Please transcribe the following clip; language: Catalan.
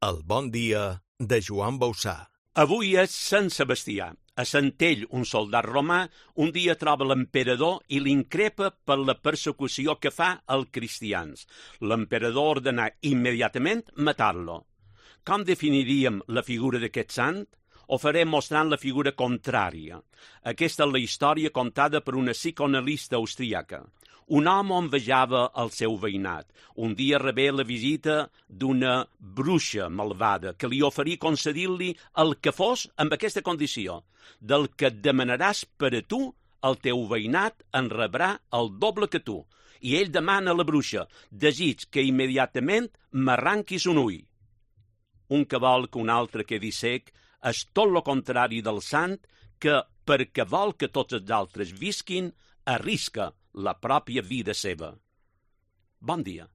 El bon dia de Joan Bausà. Avui és Sant Sebastià. A Centell, un soldat romà, un dia troba l'emperador i l'increpa per la persecució que fa als cristians. L'emperador ordena immediatament matar-lo. Com definiríem la figura d'aquest sant? Ho farem mostrant la figura contrària. Aquesta és la història contada per una psicoanalista austríaca. Un home envejava el seu veïnat. Un dia rebé la visita d'una bruixa malvada que li oferí concedir-li el que fos amb aquesta condició. Del que et demanaràs per a tu, el teu veïnat en rebrà el doble que tu. I ell demana a la bruixa: desig que immediatament m'arranquis un ull. Un que vol que un altre quedi cec és tot lo contrari del sant que, perquè vol que tots els altres visquin, arrisca la pròpia vida seva. Bon dia.